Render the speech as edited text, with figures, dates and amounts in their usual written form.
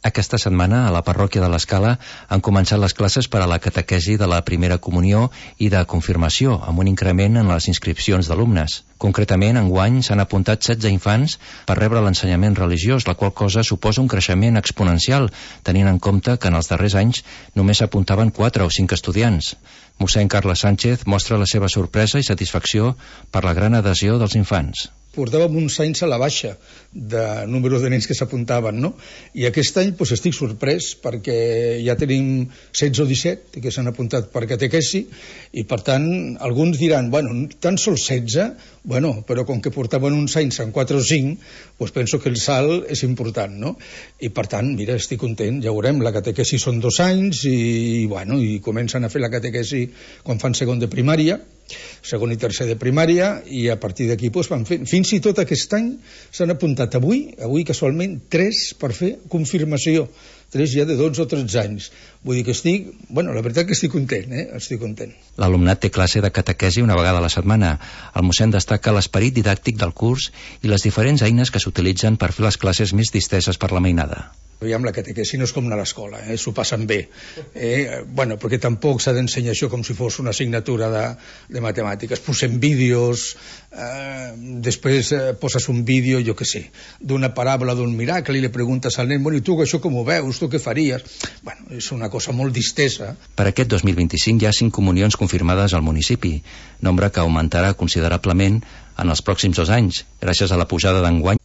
Aquesta setmana, a la parròquia de l'Escala, han començat les classes per a la catequesi de la primera comunió i de confirmació, amb un increment en les inscripcions d'alumnes. Concretament, enguany s'han apuntat 16 infants per rebre l'ensenyament religiós, la qual cosa suposa un creixement exponencial, tenint en compte que en els darrers anys només s'apuntaven 4 o 5 estudiants. Mossèn Carles Sánchez mostra la seva sorpresa i satisfacció per la gran adhesió dels infants. Portàvem uns anys a la baixa de número de nens que s'apuntaven, no? I aquest any estic sorprès perquè ja tenim 16 o 17 que s'han apuntat per catequesi i per tant alguns diran, bueno, tan sols 16, bueno, però com que portaven uns anys en 4 o 5, doncs penso que el salt és important, no? I per tant, mira, estic content, ja veurem, la catequesi són 2 anys i bueno, i comencen a fer la catequesi quan fan segon de primària, segon i tercer de primària, i a partir d'aquí van fent. Fins i tot aquest any s'han apuntat avui casualment 3 per fer confirmació, 3 ja de 12 o 13 anys. Vull dir que la veritat que estic content, estic content. L'alumnat té classe de catequesi una vegada a la setmana. El mossèn destaca l'esperit didàctic del curs i les diferents eines que s'utilitzen per fer les classes més disteses per la mainada. Aviam, la catequesi no és com anar a l'escola, s'ho passen bé. Perquè tampoc s'ha d'ensenyar això com si fos una assignatura de matemàtiques. Posem vídeos, després poses un vídeo, jo què sé, d'una paràbola d'un miracle i li preguntes al nen, bueno, i tu això com ho veus, tu què faries? Bueno, és una cosa molt distesa. Per aquest 2025 hi ha 5 comunions confirmades al municipi, nombre que augmentarà considerablement en els pròxims 2 anys, gràcies a la pujada d'enguany.